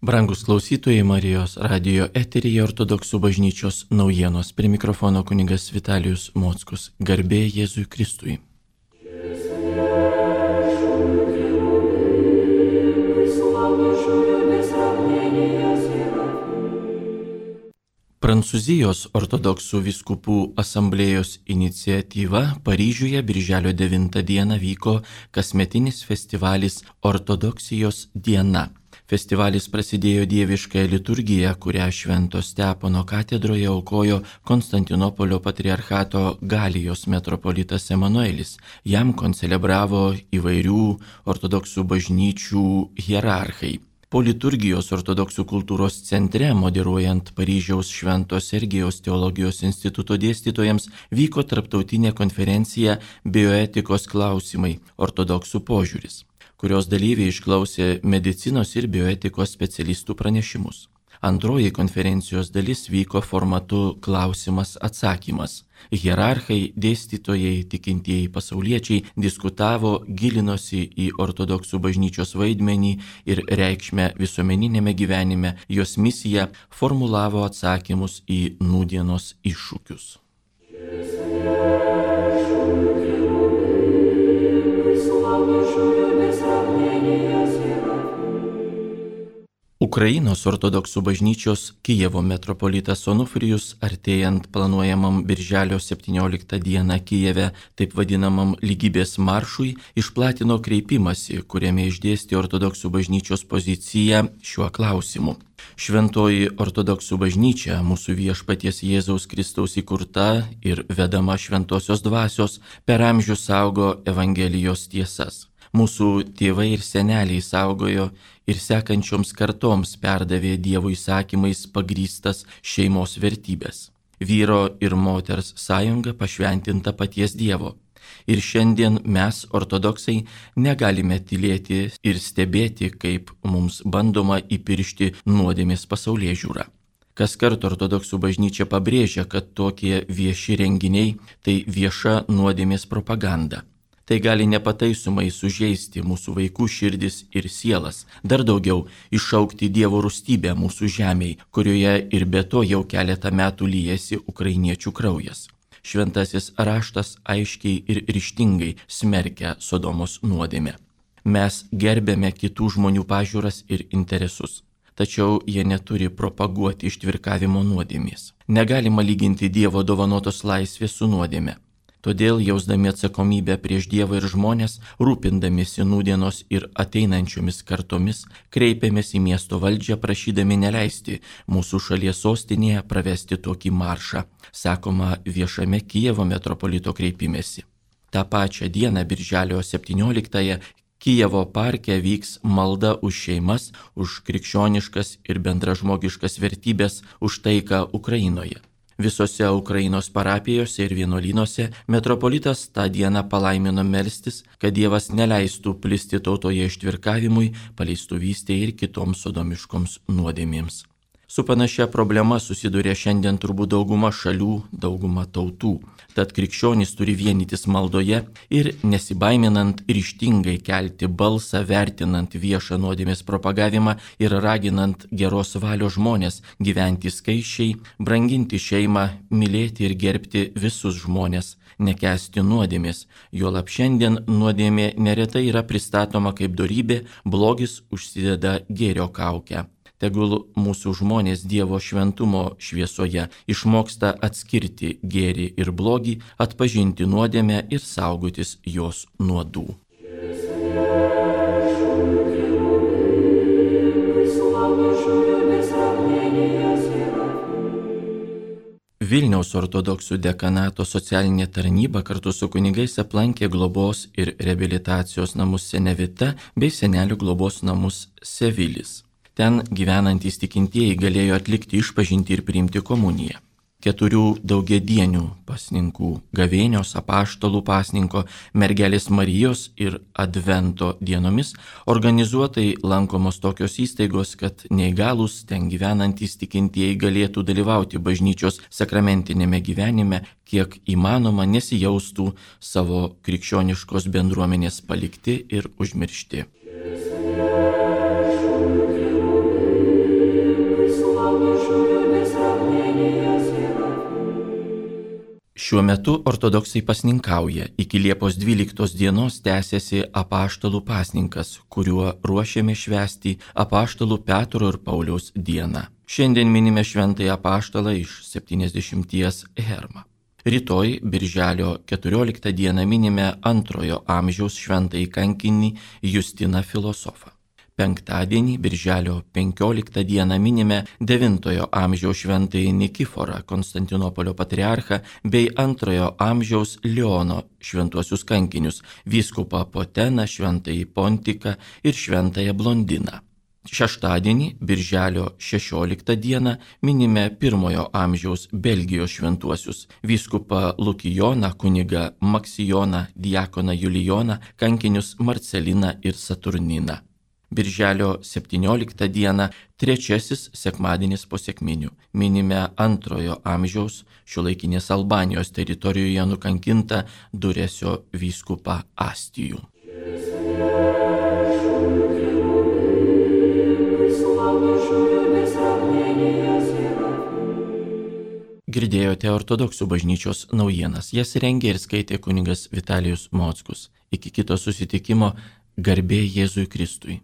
Brangus klausytojai, Marijos radijo eteryje Ortodoksų bažnyčios naujienos. Prie mikrofono kunigas Vitalijus Mockus. Garbė Jėzui Kristui. Prancūzijos ortodoksų vyskupų asamblėjos iniciatyva Paryžiuje birželio 9 dieną vyko kasmetinis festivalis Ortodoksijos diena. Festivalis prasidėjo dieviškąją liturgiją, kurią Švento Stepono katedroje aukojo Konstantinopolio patriarchato Galijos metropolitas Emanuelis. Jam koncelebravo įvairių ortodoksų bažnyčių hierarchai. Po liturgijos ortodoksų kultūros centre, moderuojant Paryžiaus Švento Sergijaus teologijos instituto dėstytojams, vyko tarptautinė konferencija Bioetikos klausimai – ortodoksų požiūris, kurios dalyviai išklausė medicinos ir bioetikos specialistų pranešimus. Antroji konferencijos dalis vyko formatu klausimas-atsakymas. Hierarchai, dėstytojai, tikintieji pasauliečiai diskutavo, gilinosi į ortodoksų bažnyčios vaidmenį ir reikšmę visuomeninėme gyvenime, jos misiją, formulavo atsakymus į nūdienos iššūkius. Ukrainos ortodoksų bažnyčios Kijevo metropolitas Onufrijus, artėjant planuojamam birželio 17 dieną Kijeve, taip vadinamam lygybės maršui, išplatino kreipimąsi, kuriame išdėstė ortodoksų bažnyčios poziciją šiuo klausimu. Šventoji ortodoksų bažnyčia, mūsų viešpaties Jėzaus Kristaus įkurta ir vedama šventosios dvasios, per amžius saugo Evangelijos tiesas. Mūsų tėvai ir seneliai saugojo ir sekančioms kartoms perdavė Dievo įsakymais pagrįstas šeimos vertybės. Vyro ir moters sąjunga pašventinta paties Dievo. Ir šiandien mes, ortodoksai, negalime tylėti ir stebėti, kaip mums bandoma įpiršti nuodėmės pasaulėžiūrą. Kaskart ortodoksų bažnyčia pabrėžia, kad tokie vieši renginiai tai vieša nuodėmės propaganda. Tai gali nepataisomai sužeisti mūsų vaikų širdis ir sielas, dar daugiau iššaukti Dievo rūstybę mūsų žemėj, kurioje ir be to jau keletą metų liejasi ukrainiečių kraujas. Šventasis raštas aiškiai ir ryžtingai smerkia Sodomos nuodėmę. Mes gerbėme kitų žmonių pažiūras ir interesus, tačiau jie neturi propaguoti ištvirkavimo nuodėmės. Negalima lyginti Dievo dovanotos laisvės su nuodėme. Todėl, jausdami atsakomybę prieš Dievą ir žmonės, rūpindamiesi nūdienos ir ateinančiomis kartomis, kreipiamės į miesto valdžią, prašydami neleisti mūsų šalies sostinėje pravesti tokį maršą, sakoma viešame Kijevo metropolito kreipimesi. Ta pačią dieną, birželio 17-ąją, Kijevo parke vyks malda už šeimas, už krikščioniškas ir bendražmogiškas vertybės, už taiką Ukrainoje. Visose Ukrainos parapijose ir vienuolynuose metropolitas tą dieną palaimino melstis, kad Dievas neleistų plisti tautoje ištvirkavimui, paleistuvystei ir kitoms sodomiškoms nuodėmėms. Su panašia problema susiduria šiandien turbūt dauguma šalių, dauguma tautų. Tad krikščionys turi vienytis maldoje ir nesibaiminant ryžtingai kelti balsą, vertinant viešą nuodėmės propagavimą ir raginant geros valios žmonės gyventi skaisčiai, branginti šeimą, mylėti ir gerbti visus žmonės, nekęsti nuodėmės. Juolab šiandien nuodėmė neretai yra pristatoma kaip dorybė, blogis užsideda gėrio kaukę. Tegul mūsų žmonės Dievo šventumo šviesoje išmoksta atskirti gėrį ir blogį, atpažinti nuodėmę ir saugotis jos nuodų. Vilniaus ortodoksų dekanato socialinė tarnyba kartu su kunigais aplankė globos ir reabilitacijos namus Senevita bei senelių globos namus Sevilis. Ten gyvenantys tikintieji galėjo atlikti išpažintį ir priimti komuniją. 4 daugiadienių pasninkų – Gavėnios, Apaštalų pasninko, Mergelės Marijos ir Advento dienomis organizuotai lankomos tokios įstaigos, kad neįgalūs ten gyvenantys tikintieji galėtų dalyvauti bažnyčios sakramentinėme gyvenime, kiek įmanoma nesijaustų savo krikščioniškos bendruomenės palikti ir užmiršti. Šiuo metu ortodoksai pasninkauja. Iki Liepos 12 dienos tęsiasi apaštalų pasninkas, kuriuo ruošiame švęsti apaštalų Petro ir Pauliaus dieną. Šiandien minime šventąjį apaštalą iš 70 Hermą. Rytoj, birželio 14 dieną, minime 2 amžiaus šventąjį kankinį Justiną filosofą. Penktadienį, birželio 15 dieną, minime 9 amžiaus šventąjį Nikiforą, Konstantinopolio patriarchą, bei 2 amžiaus Leono šventuosius kankinius, vyskupą Poteną, šventąjį Pontiką ir šventąją Blondiną. Šeštadienį, birželio 16 dieną, minime 1 amžiaus Belgijos šventuosius, vyskupą Lukijoną, kunigą Maksijoną, diakoną Julijoną, kankinius Marceliną ir Saturniną. Birželio 17 dieną, 3 sekmadienis po sekminių, minime 2 amžiaus šiuolaikinės Albanijos teritorijoje nukankintą Duresio vyskupą Astijų. Girdėjote ortodoksų bažnyčios naujienas. Jas rengė ir skaitė kunigas Vitalijus Mockus. Iki kito susitikimo, garbė Jėzui Kristui.